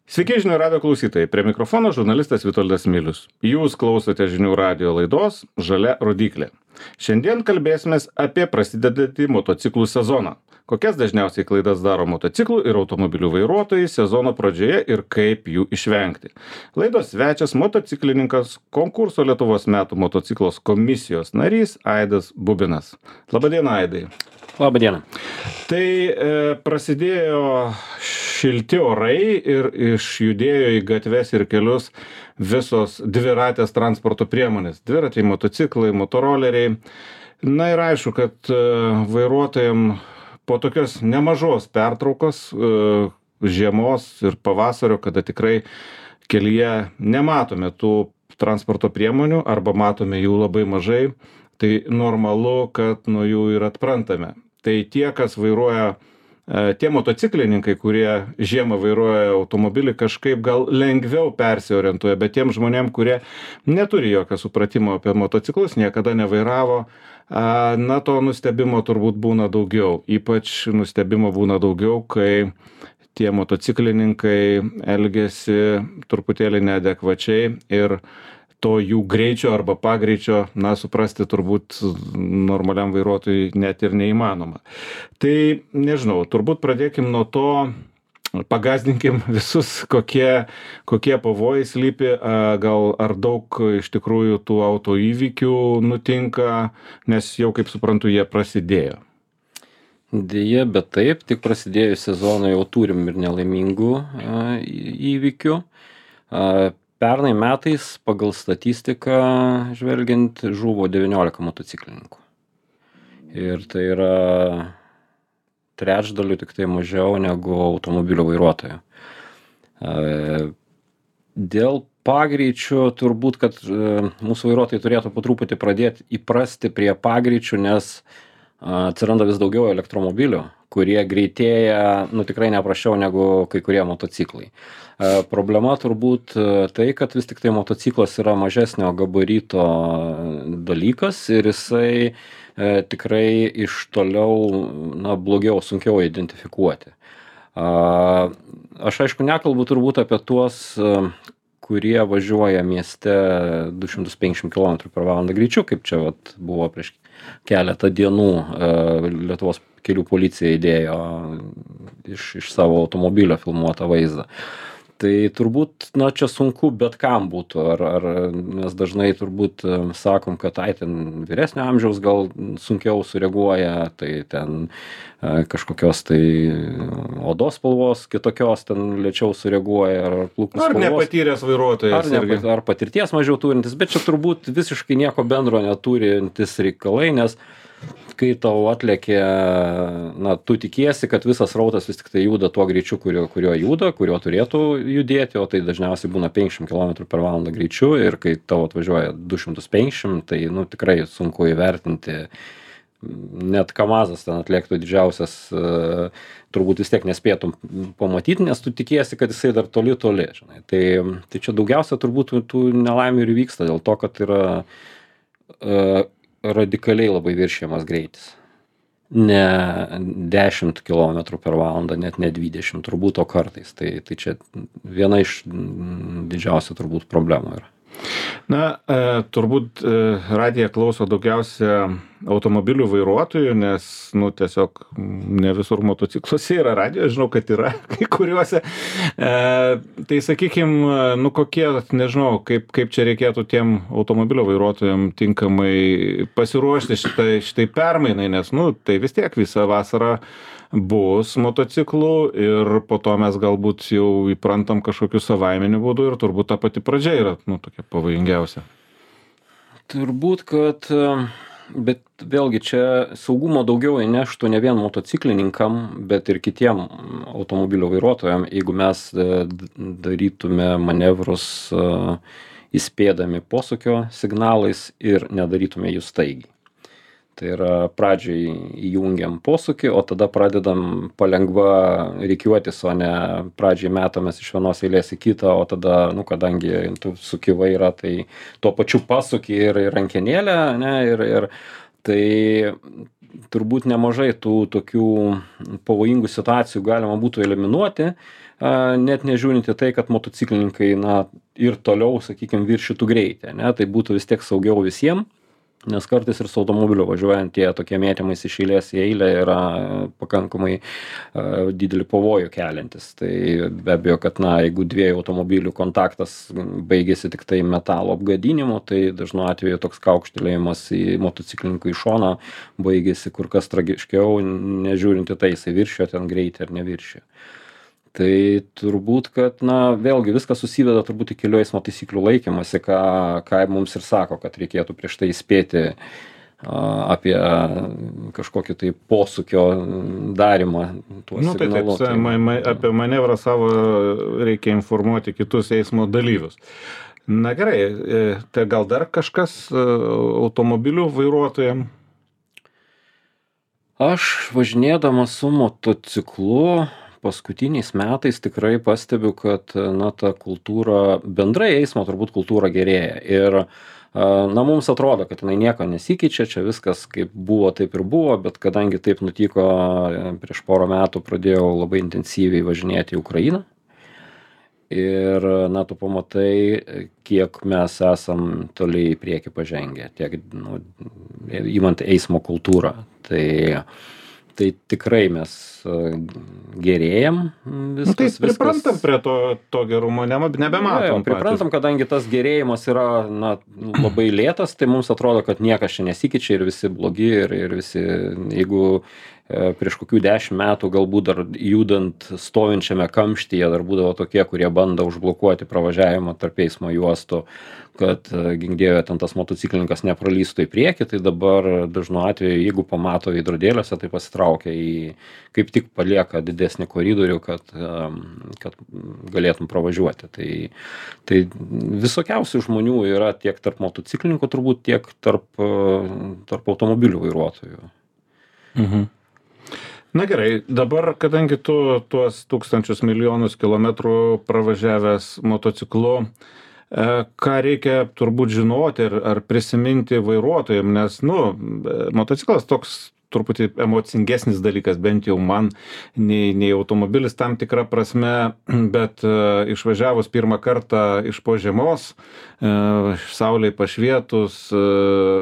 Sveiki žinių radio klausytojai, prie mikrofono žurnalistas Vitoldas Milius. Jūs klausote žinių radio laidos Žalia rodyklė. Šiandien kalbėsimės apie prasidedantį motociklų sezoną. Kokias dažniausiai klaidas daro motociklų ir automobilių vairuotojai sezono pradžioje ir kaip jų išvengti. Laidos svečias motociklininkas, konkurso Lietuvos metų motociklos komisijos narys Aidas Bubinas. Labadiena, Aidai. Labadiena. Tai prasidėjo šilti orai ir išjudėjo į gatves ir kelius visos dviratės transporto priemonės. Dviračiai, motociklai, motoroleriai. Na ir aišku, kad vairuotojams po tokios nemažos pertraukos žiemos ir pavasario, kada tikrai kelyje nematome tų transporto priemonių arba matome jų labai mažai, tai normalu, kad nuo jų ir atprantame. Tai tie, kas vairuoja, tie motociklininkai, kurie žiemą vairuoja automobilį, kažkaip gal lengviau persiorientuoja, bet tiem žmonėm, kurie neturi jokio supratimo apie motociklus, niekada nevairavo, na to nustebimo turbūt būna daugiau. Ypač nustebimo būna daugiau, kai tie motociklininkai elgiasi truputėlį neadekvačiai ir to jų greičio arba pagreičio, na, suprasti turbūt normaliam vairuotojui net ir neįmanoma. Tai, nežinau, turbūt pradėkim nuo to, pagazdinkim visus, kokie pavojai slypi, gal ar daug iš tikrųjų tų autoįvykių nutinka, nes jau, kaip suprantu, jie prasidėjo. Deja, bet taip, tik prasidėjus sezonui jau turim ir nelaimingų įvykių. Pernai metais pagal statistiką žvelgiant žuvo 19 motociklininkų. Ir tai yra trečdaliu tik tai mažiau negu automobilio vairuotojų. Dėl pagreičių turbūt, kad mūsų vairuotojai turėtų po truputį pradėti įprasti prie pagreičių, nes atsiranda vis daugiau elektromobilių, kurie greitėja, tikrai neprasčiau negu kai kurie motociklai. Problema turbūt tai, kad vis tik tai motociklas yra mažesnio gabarito dalykas ir jisai tikrai iš toliau, blogiau, sunkiau identifikuoti. Aš aišku nekalbu turbūt apie tuos, kurie važiuoja mieste 250 km/h greičiu, kaip čia buvo prieš keletą dienų Lietuvos kelių policija įdėjo iš savo automobilio filmuotą vaizdą. Tai turbūt, čia sunku bet kam būtų, ar mes dažnai turbūt sakom, kad ten vyresnio amžiaus gal sunkiau sureaguoja, tai ten kažkokios tai odos spalvos kitokios ten lėčiau sureaguoja, ar plūkų spalvos. Ar nepatyręs vairuotojas. Ar patirties mažiau turintis, bet čia turbūt visiškai nieko bendro neturintis reikalai, nes kai tau atlėkė, tu tikiesi, kad visas srautas vis tik tai juda tuo greičiu, kuriuo juda, kuriuo turėtų judėti, o tai dažniausiai būna 50 km/h greičiu ir kai tau atvažiuoja 250, tai tikrai sunku įvertinti. Net Kamazas ten atlėktų didžiausias, turbūt vis tiek nespėtum pamatyti, nes tu tikiesi, kad jisai dar toli. Žinai. Tai čia daugiausia turbūt tų nelaimių ir vyksta dėl to, kad yra radikaliai labai viršijamas greitis. Ne 10 km/h, net ne 20, turbūt, o kartais. Tai čia viena iš didžiausių turbūt problemų yra. Turbūt radiją klauso daugiausia automobilių vairuotojų, nes, tiesiog ne visur motocikluose yra radijo, žinau, kad yra kai kuriuose. Tai sakykime, kokie, nežinau, kaip čia reikėtų tiem automobilio vairuotojam tinkamai pasiruošti šitai permainai, nes, tai vis tiek visą vasarą bus motociklų ir po to mes galbūt jau įprantam kažkokiu savaiminiu būdu ir turbūt ta pati pradžia yra, tokia pavojingiausia. Turbūt, kad, bet vėlgi čia saugumo daugiau įneštų ne vien motociklininkam, bet ir kitiem automobilio vairuotojam, jeigu mes darytume manevrus įspėdami posūkio signalais ir nedarytume jų staigiai. Tai yra pradžiai įjungiam posūkį, o tada pradedam palengva rikiuotis, o ne pradžiai metamės iš vienos eilės į kitą, o tada, kadangi tu suki vairą, tai tuo pačiu pasukį ir rankenėlę, ir tai turbūt nemažai tų tokių pavojingų situacijų galima būtų eliminuoti, net nežiūrint į tai, kad motociklininkai, na, ir toliau, sakykime, viršytų greitį, ne, tai būtų vis tiek saugiau visiems. Nes kartais ir su automobiliu važiuojant tie tokie mėtymais iš eilės į eilę yra pakankamai didelį pavojų keliantis. Tai be abejo, kad na, jeigu dviejų automobilių kontaktas baigėsi tik tai metalo apgadinimu, tai dažnu atveju toks kaukštelėjimas į motociklininkų į šoną baigėsi kur kas tragiškiau, nežiūrint į tai, jisai viršijo ten greitį ar neviršijo. Tai turbūt, kad, na, vėlgi viskas susiveda turbūt į kelių eismo taisyklių laikymasi, ką mums ir sako, kad reikėtų prieš tai įspėti apie kažkokį tai posūkio darymą. Nu, tai taip, apie manevrą savo reikia informuoti kitus eismo dalyvius. Na gerai, tai gal dar kažkas automobilių vairuotojams? Aš važinėdamas su motociklu paskutiniais metais tikrai pastebiu, kad na, ta kultūra, bendrai eismo turbūt kultūra gerėja. Ir na, mums atrodo, kad jinai nieko nesikeičia, čia viskas kaip buvo, taip ir buvo, bet kadangi taip nutiko, prieš porą metų pradėjau labai intensyviai važinėti į Ukrainą. Ir, na, tu pamatai, kiek mes esam toliai į priekį pažengę, tiek, nu, įmant eismo kultūrą. Tai tikrai mes gerėjam viskas. Nu, tai priprantam prie to gerumo, nebematom. Priprantam, kadangi tas gerėjimas yra na, labai lėtas, tai mums atrodo, kad niekas čia nesikeičia ir visi blogi ir visi, jeigu prieš kokių 10 metų galbūt dar judant stovinčiame kamštyje dar būdavo tokie, kurie bando užblokuoti pravažiavimą tarp eismo juostų, kad gink dieve ten tas motociklininkas nepralystų į priekį, tai dabar dažnu atveju, jeigu pamato veidrodėliuose, tai pasitraukia kaip tik palieka didesnį koridorių, kad galėtum pravažiuoti. Tai visokiausių žmonių yra tiek tarp motociklininkų turbūt, tiek tarp automobilių vairuotojų. Mhm. Na gerai, dabar, kadangi tu tuos tūkstančius milijonus kilometrų pravažiavęs motociklu, ką reikia turbūt žinoti ar prisiminti vairuotojams, nes, nu, motociklas toks truputį emocingesnis dalykas, bent jau man, nei automobilis tam tikrą prasme, bet išvažiavus pirmą kartą iš po žiemos, saulei pašvietus,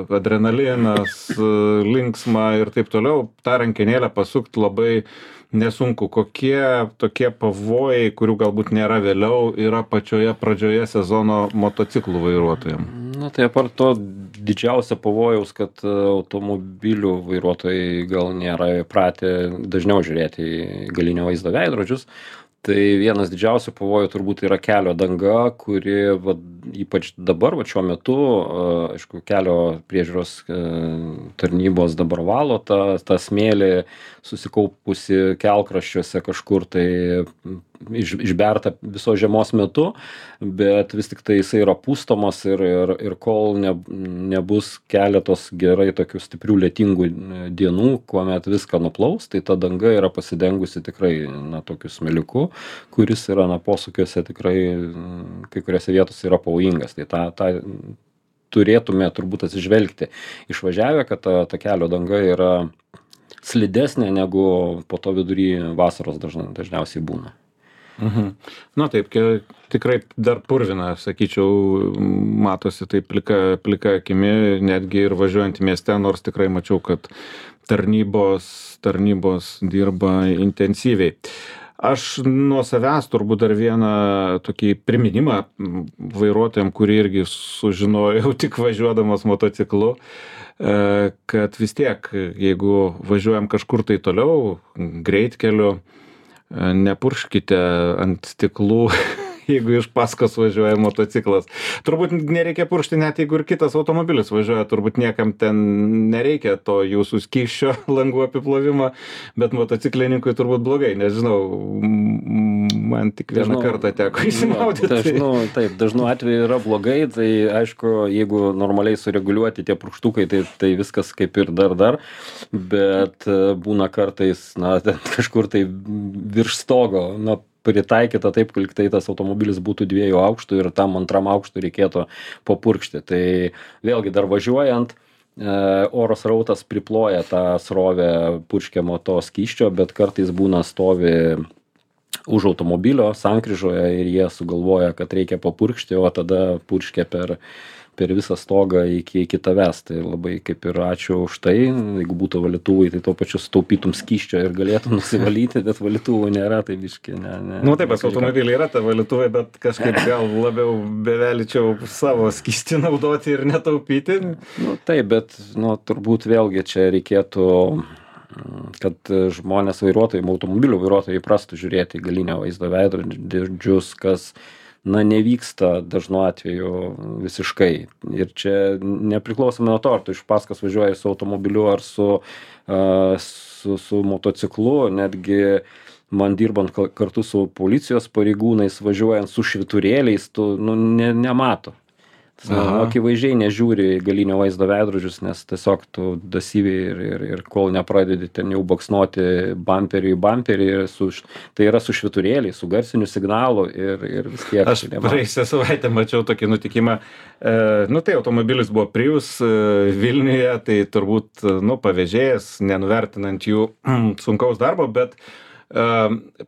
adrenalinas, linksma ir taip toliau, tą rankenėlę pasukti labai nesunku. Kokie tokie pavojai, kurių galbūt nėra vėliau, yra pačioje pradžioje sezono motociklų vairuotojams? Na tai apart to didžiausia pavojaus, kad automobilių vairuotojai gal nėra įpratę dažniau žiūrėti į galinio vaizdo veidrodžius. Tai vienas didžiausių pavojų turbūt yra kelio danga, kuri ypač dabar, šiuo metu, aišku, kelio priežiūros tarnybos dabar valo tą smėlį susikaupusi kelkraščiuose kažkur tai išberta viso žiemos metu, bet vis tik tai jisai yra pustomas ir kol nebus keletos gerai tokių stiprių lietingų dienų, kuomet viską nuplaus, tai ta danga yra pasidengusi tikrai na, tokiu smėliuku, kuris yra na, posūkiuose tikrai kai kuriuose vietose yra pavojingas. Tai tą turėtume turbūt atsižvelgti išvažiavę, kad ta kelio danga yra slidesnė negu po to vidury vasaros dažniausiai būna. Mhm. Na taip, tikrai dar purvina, sakyčiau, matosi taip plika akimi, netgi ir važiuojant į mieste, nors tikrai mačiau, kad tarnybos dirba intensyviai. Aš nuo savęs turbūt dar vieną tokį priminimą vairuotojams, kurį irgi sužinojau tik važiuodamas motociklu, kad vis tiek, jeigu važiuojam kažkur tai toliau, greitkeliu, nepurškite ant stiklų, jeigu iš paskos važiuoja motociklas. Turbūt nereikia puršti net jeigu ir kitas automobilis važiuoja, turbūt niekam ten nereikia to jūsų skysčio langų apiplovimo, bet motociklininkui turbūt blogai, nežinau, man tik vieną kartą teko įsimaudyti. Dažnu atveju yra blogai, tai aišku, jeigu normaliai sureguliuoti tie purkštukai, tai viskas kaip ir dar, bet būna kartais, na, kažkur tai virš stogo, na, pritaikyta taip, kad tai tas automobilis būtų 2 aukštų ir tam 2 aukštų reikėtų papurkšti. Tai vėlgi dar važiuojant, oro srautas priploja tą srovę purškiamo to skysčio, bet kartais būna stovi už automobilio sankryžoje ir jie sugalvoja, kad reikia papurkšti, o tada purškia per visą stogą iki tavęs. Tai labai kaip ir ačiū už tai. Jeigu būtų valytuvai, tai tuo pačiu sutaupytum skysčio ir galėtum nusivalyti, bet valytuvų nėra, tai biški. Nu taip, pas automobilį yra ta valytuvai, bet kažkaip gal labiau bevelyčiau savo skystį naudoti ir netaupyti. Nu taip, bet turbūt vėlgi čia reikėtų, kad žmonės vairuotojai, automobilių vairuotojai įprastų žiūrėti į galinio vaizdo veidrodžius, kas nevyksta dažnu atveju visiškai. Ir čia nepriklausomai nuo to, ar tu iš paskos važiuoji su automobiliu ar su motociklu, netgi man dirbant kartu su policijos pareigūnais, važiuojant su švyturėliais, tu nemato. Akivaizdžiai nežiūri į galinio vaizdo veidrodžius, nes tiesiog tu dasyviai ir kol nepradedi ten jau baksnuoti bamperį į bamperį, tai yra su švyturėliais, su garsiniu signalu ir vis tiek. Aš praėjusią savaitę mačiau tokį nutikimą. Tai automobilis buvo Prius Vilniuje, tai turbūt pavėžėjas, nenuvertinant jų sunkaus darbo, bet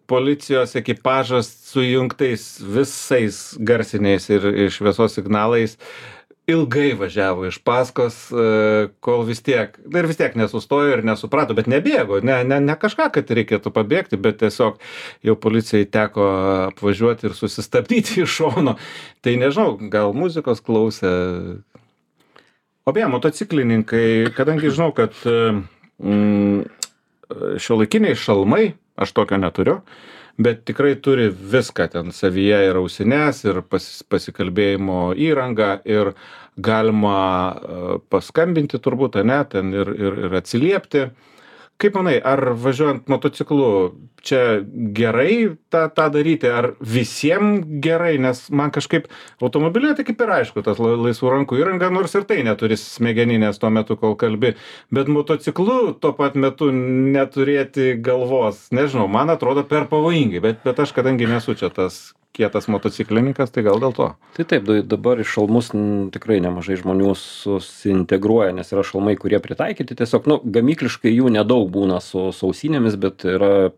policijos ekipažas sujungtais visais garsiniais ir šviesos signalais ilgai važiavo iš paskos, kol vis tiek nesustojo ir nesuprato, bet nebėgo, ne kažką, kad reikėtų pabėgti, bet tiesiog jau policijai teko apvažiuoti ir susistabdyti iš šono. Tai nežinau, gal muzikos klausė. O beje, motociklininkai, kadangi žinau, kad šiuolaikiniai šalmai, aš tokio neturiu, bet tikrai turi viską ten savyje, ir ausines, ir pasikalbėjimo įrangą, ir galima paskambinti turbūt, ten ir atsiliepti. Kaip manai, ar važiuojant motociklu čia gerai tą daryti, ar visiems gerai, nes man kažkaip automobilė tai kaip ir aišku, tas laisvų rankų įranga, nors ir tai neturi smegeninės tuo metu, kol kalbi, bet motociklu tuo pat metu neturėti galvos, nežinau, man atrodo per pavojingai, bet aš kadangi nesu čia tas kietas motociklininkas, tai gal dėl to. Tai taip, dabar iš šalmus tikrai nemažai žmonių susintegruoja, nes yra šalmai, kurie pritaikyti, tiesiog, gamykliškai jų nedaug būna su ausinėmis, bet yra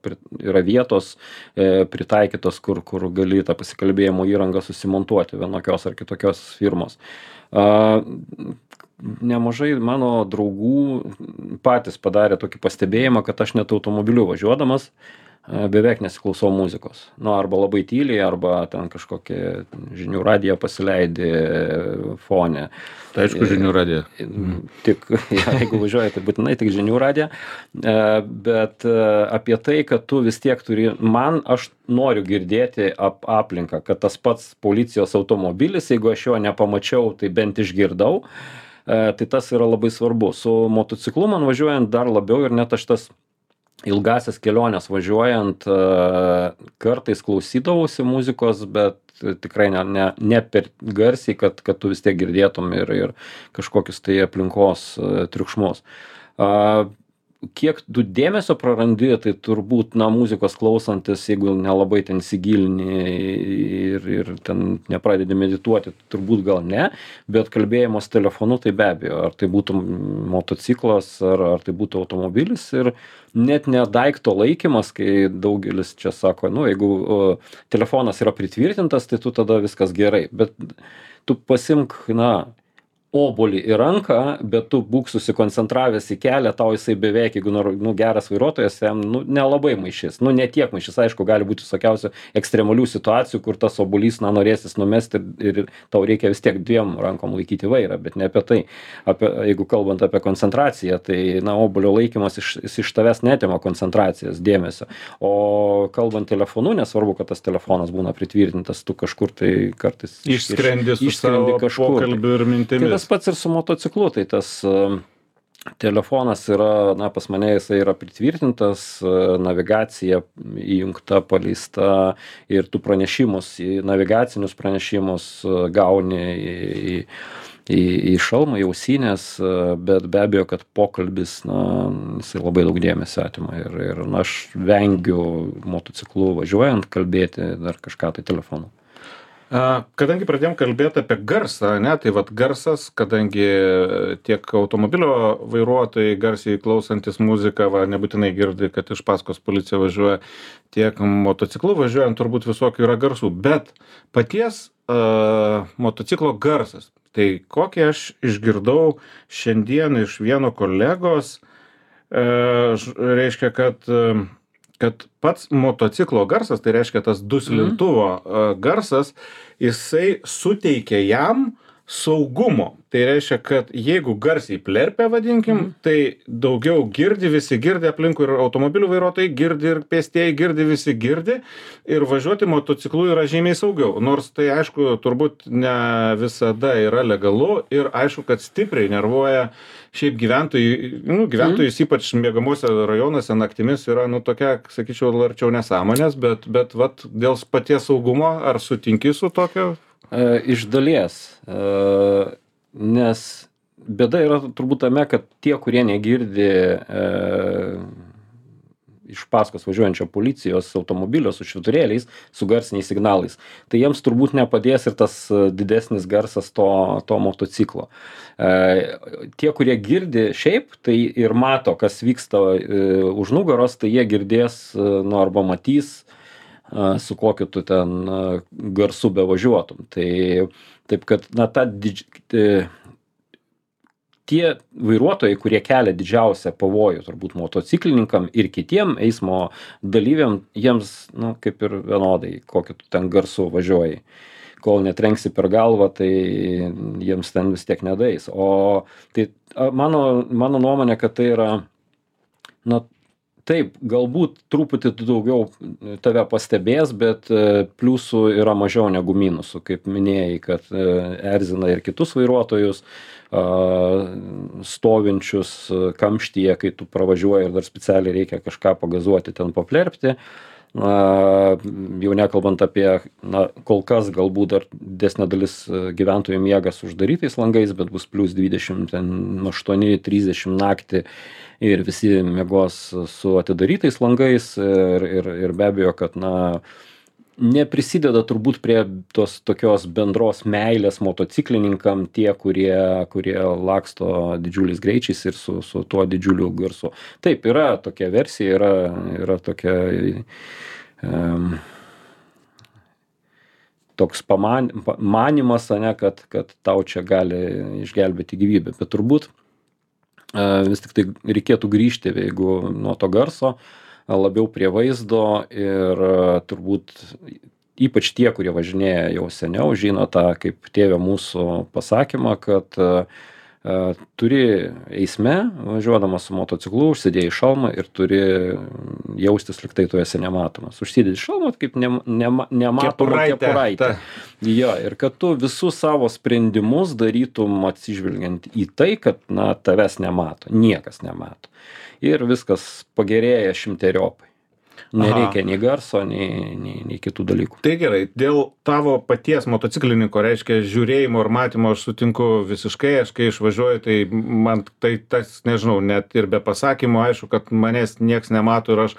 vietos pritaikytos, kur gali tą pasikalbėjimo įrangą susimontuoti vienokios ar kitokios firmos. Nemažai mano draugų patys padarė tokį pastebėjimą, kad aš net automobiliu važiuodamas beveik nesiklausau muzikos. Arba labai tyliai, arba ten kažkokį žinių radiją pasileidi fone. Tai aišku, žinių radiją. Tik, jeigu važiuoji, tai būtinai tik žinių radiją. Bet apie tai, kad tu vis tiek turi, aš noriu girdėti aplinką, kad tas pats policijos automobilis, jeigu aš jo nepamačiau, tai bent išgirdau, tai tas yra labai svarbu. Su motociklu man važiuojant dar labiau, ir net aš tas ilgasias kelionės važiuojant kartais klausydavausi muzikos, bet tikrai ne per garsiai, kad tu vis tiek girdėtum ir kažkokius tai aplinkos triukšmus. Kiek tu dėmesio prarandi, tai turbūt muzikos klausantis, jeigu nelabai ten įsigilini ir ten nepradedi medituoti, turbūt gal ne, bet kalbėjimas telefonu tai be abejo, ar tai būtų motociklas, ar tai būtų automobilis, ir net ne daikto laikymas, kai daugelis čia sako, jeigu telefonas yra pritvirtintas, tai tu tada viskas gerai, bet tu pasimk, obuolį į ranką, bet tu būk susikoncentravęs į kelią, tau jisai beveik, jeigu geras vairuotojas, jam nelabai maišys, ne tiek maišys, aišku, gali būti visokiausių ekstremalių situacijų, kur tas obuolys norėsis numesti ir tau reikia vis tiek dviem rankom laikyti vairą, bet ne apie tai. Jeigu kalbant apie koncentraciją, tai obuolio laikymas iš tavęs netima koncentracijos, dėmesio, o kalbant telefonu, nesvarbu, kad tas telefonas būna pritvirtintas, tu kažkur tai kartais išskrendi su savo pokalbiu ir mintimis. Tas pats ir su motociklu, tai tas telefonas yra, pas mane jisai yra pritvirtintas, navigacija įjungta, paleista, ir tu pranešimus, navigacinius pranešimus gauni į šalmą, į ausines, bet be abejo, kad pokalbis, jisai labai daug dėmesio atima, ir aš vengiu motociklu važiuojant kalbėti dar kažką tai telefonu. Kadangi pradėjom kalbėti apie garsą, ne, tai vat garsas, kadangi tiek automobilio vairuotojai garsiai klausantis muziką, va, nebūtinai girdi, kad iš paskos policija važiuoja, tiek motociklu važiuojant turbūt visokių yra garsų, bet paties motociklo garsas. Tai kokį aš išgirdau šiandien iš vieno kolegos, reiškia, kad pats motociklo garsas, tai reiškia tas duslintuvo garsas, jisai suteikia jam saugumo. Tai reiškia, kad jeigu garsiai plerpia, vadinkim, tai daugiau girdi, visi girdi aplinkui, ir automobilių vairuotojai girdi, ir pėstieji girdi, visi girdi, ir važiuoti motociklu yra žymiai saugiau. Nors tai, aišku, turbūt ne visada yra legalu, ir aišku, kad stipriai nervuoja šiaip gyventojus, ypač miegamuose rajonuose naktimis yra, tokia, sakyčiau, arčiau nesąmonės, bet vat, dėl paties saugumo, ar sutinki su tokio? Iš dalies, nes bėda yra turbūt tame, kad tie, kurie negirdi iš paskos važiuojančio policijos automobilio su švyturėliais, su garsiniais signalais, tai jiems turbūt nepadės ir tas didesnis garsas to motociklo. Tie, kurie girdi šiaip, tai ir mato, kas vyksta už nugaros, tai jie girdės, arba matys, su kokiu tu ten garsu bevažiuotum. Tai taip, kad, tie vairuotojai, kurie kelia didžiausią pavojų turbūt motociklininkam ir kitiem eismo dalyviam, jiems, kaip ir vienodai, kokiu tu ten garsu važiuoji. Kol netrenksi per galvą, tai jiems ten vis tiek nedais. O tai mano nuomonė, kad tai yra, taip, galbūt truputį daugiau tave pastebės, bet pliusų yra mažiau negu minusų, kaip minėjai, kad erzina ir kitus vairuotojus, stovinčius kamštyje, kai tu pravažiuoji ir dar specialiai reikia kažką pagazuoti, ten paplerpti. Jau nekalbant apie, kol kas galbūt dar didesnė dalis gyventojų miega su uždarytais langais, bet bus plius 28-30 naktį ir visi miegos su atidarytais langais ir be abejo, kad neprisideda turbūt prie tos tokios bendros meilės motociklininkam tie, kurie laksto didžiuliais greičiais ir su tuo didžiuliu garsu. Taip, yra tokia versija, yra tokia toks manimas, kad tau čia gali išgelbėti gyvybę, bet turbūt vis tik tai reikėtų grįžti, jeigu nuo to garso, labiau prie vaizdo ir turbūt ypač tie, kurie važinėja jau seniau, žino tą kaip tėvė mūsų pasakymą, kad turi eisme, važiuodamas su motociklu, užsidėjai šalmą ir turi jaustis lyg tai tu esi nematomas. Užsidėjai šalmą kaip nematoma kepuraitė. Jo, ir kad tu visus savo sprendimus darytum atsižvelgiant į tai, kad tavęs nemato, niekas nemato. Ir viskas pagerėja šimteriopai. Nereikia nei garso, nei kitų dalykų. Tai gerai, dėl tavo paties motociklininko, reiškia, žiūrėjimo ir matymo aš sutinku visiškai, aš kai išvažiuoju, tai man tai tas, nežinau, net ir be pasakymo, aišku, kad manęs nieks nemato ir aš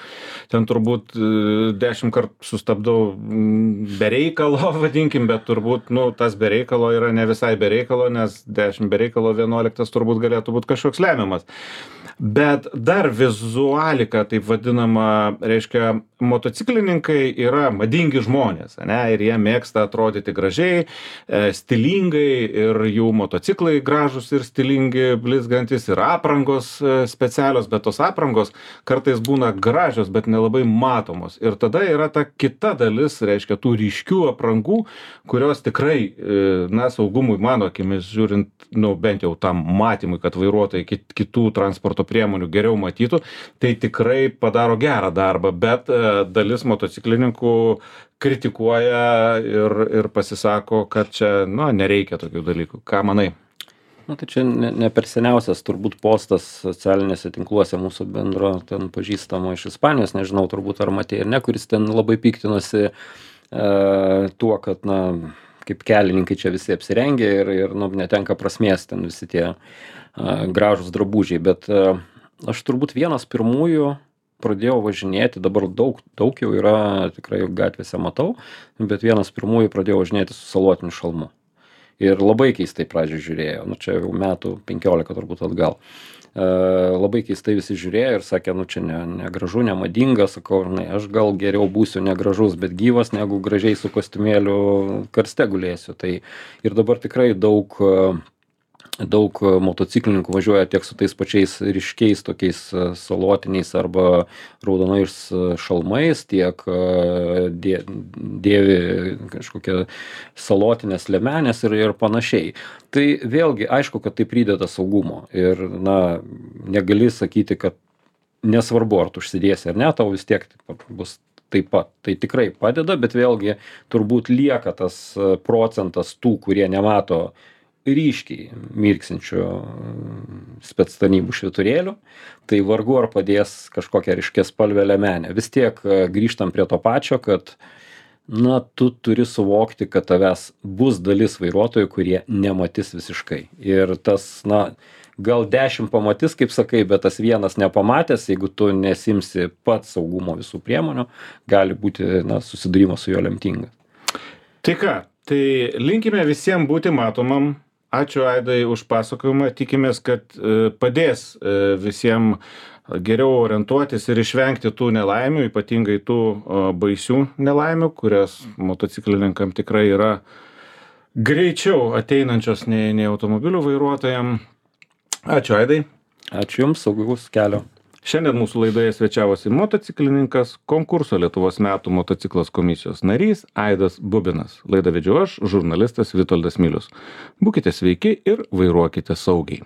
ten turbūt 10 kartų sustabdau be reikalo, vadinkim, bet turbūt, tas be reikalo yra ne visai be reikalo, nes 10 be reikalo 11 turbūt galėtų būti kažkoks lemiamas. Bet dar vizualika, taip vadinama, reiškia, motociklininkai yra madingi žmonės, ir jie mėgsta atrodyti gražiai, stilingai, ir jų motociklai gražus ir stilingi, blizgantis, ir aprangos specialios, bet tos aprangos kartais būna gražios, bet nelabai matomos. Ir tada yra ta kita dalis, reiškia, tų ryškių aprangų, kurios tikrai, saugumui, mano akimis žiūrint, bent jau tam matymui, kad vairuotojai kitų transporto priemonių geriau matytų, tai tikrai padaro gerą darbą, bet dalis motociklininkų kritikuoja ir pasisako, kad čia, nereikia tokių dalykų. Ką manai? Tai čia ne per seniausias turbūt postas socialinėse tinkluose mūsų bendro ten pažįstamo iš Ispanijos, nežinau turbūt ar matei ir ne, kuris ten labai piktinosi tuo, kad, kaip kelininkai čia visi apsirengė ir netenka prasmės ten visi tie gražūs drabužiai, bet aš turbūt vienas pirmųjų pradėjau važinėti, dabar daug jau yra, tikrai gatvėse matau, bet vienas pirmųjų pradėjau važinėti su salotiniu šalmu. Ir labai keistai pradžioj žiūrėjo, nu čia jau metų 15 turbūt atgal. Labai keistai visi žiūrėjo ir sakė, nu čia negražu, nemadinga, sakau, aš gal geriau būsiu negražus, bet gyvas, negu gražiai su kostiumėliu karste gulėsiu. Tai ir dabar tikrai daug motociklininkų važiuoja tiek su tais pačiais ryškiais tokiais salotiniais arba raudonais šalmais, tiek dėvi kažkokią salotinės liemenės ir panašiai. Tai vėlgi aišku, kad tai prideda saugumo ir negali sakyti, kad nesvarbu, ar tu užsidėsi ar ne, tau vis tiek bus taip pat. Tai tikrai padeda, bet vėlgi turbūt lieka tas procentas tų, kurie nemato ryškiai mirksinčių spec tarnybų švyturėlių, tai vargu ar padės kažkokią ryškiaspalvę liemenę. Vis tiek grįžtam prie to pačio, kad tu turi suvokti, kad tavęs bus dalis vairuotojų, kurie nematys visiškai. Ir tas, gal 10 pamatys, kaip sakai, bet tas vienas nepamatęs, jeigu tu nesimsi pats saugumo visų priemonių, gali būti susidūrimas su juo lemtingas. Tai ką, tai linkime visiems būti matomam. Ačiū Aidai už pasakojimą, tikimės, kad padės visiems geriau orientuotis ir išvengti tų nelaimių, ypatingai tų baisių nelaimių, kurias motociklininkam tikrai yra greičiau ateinančios nei automobilių vairuotojam. Ačiū Aidai. Ačiū Jums, saugaus kelio. Šiandien mūsų laidoje svečiavosi motociklininkas, konkurso Lietuvos metų motociklas komisijos narys Aidas Bubinas. Laidą vedžiau aš, žurnalistas Vitoldas Milius. Būkite sveiki ir vairuokite saugiai.